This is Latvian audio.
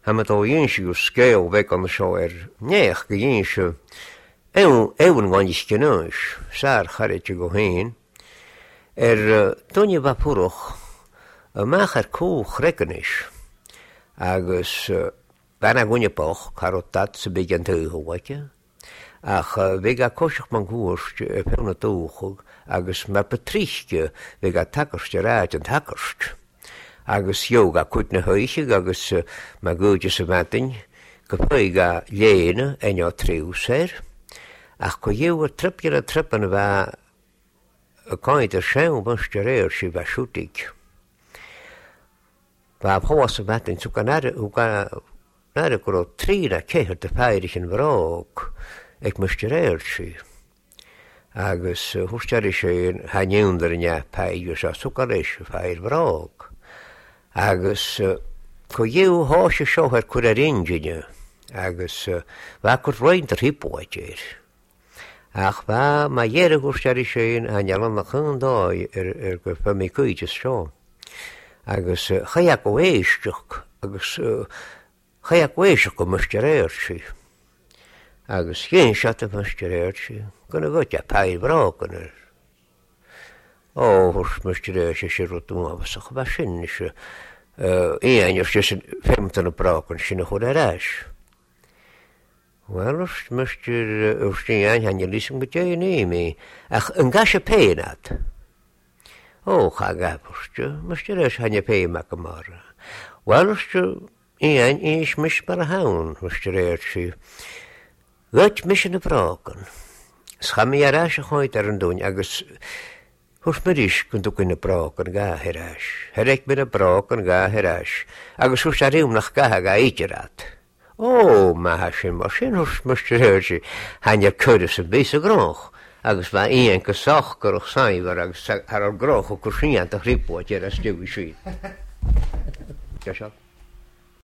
Hamet ó dhéonse go scéal bheith an seo néach go dhéonse éhan gáin is cinnáis, sár chairte go héin, duine bhapúrach amach cóchrecanis, agus bena gúine poch, carottat sa big an túhaite, ach bhí a cóiseach man gúist pena túchug, agus mar patrísce bhí a takarste ráid an takarst. Agus yoga kutna huisig agus ma gúide sa matin go puiga léine enja triúsér ach go dhéhar tripgear a tripan bheit a cáint a sean muste réir si bheit siútig. Bá bhá sa matin sú nare go trí a céhar de féirich an bhrág ag muste réir si. Agus thusteir sé hanéundar in peige sa súcar éis féir bhrág. Agus go dhéú háise seohar chuir a ringine, agus bheit chur roiint ar hipóitéir. Ach bheit má dhéire gústeir sé a nealan na chundáid go femi cuiide seo. Agus chaach go éisteach, agus chaach éisteach go muiste réir si. Agus chéan seat a muiste réir si, gona gote a peir bhrágan hús muiste réir sé rútú abasach bheit sin se éanaar sé femtan a brágan sinna chud a ráis. Well, muiste ústíáin haine lísing go dé néimi, ach an gas a péanat. Cha gapuste, muiste réis haine péimeach go mar. Well, éan is mis mar a hán, muiste réir si. Gait mis na brágan. Schami a ráis a cháid ar an dún, agus hús mar is gon tú na brágan gáthirás. Heréic mir a brágan gáthirás, agus hús a riúmnach gatha ga íterat. Má sin mar sin hús muiste réir si haine chuide sa bís a grách, agus bheit íon go soch goch saimhar agus ar grách ó chusiíanta rípóid ar a stiúí síd.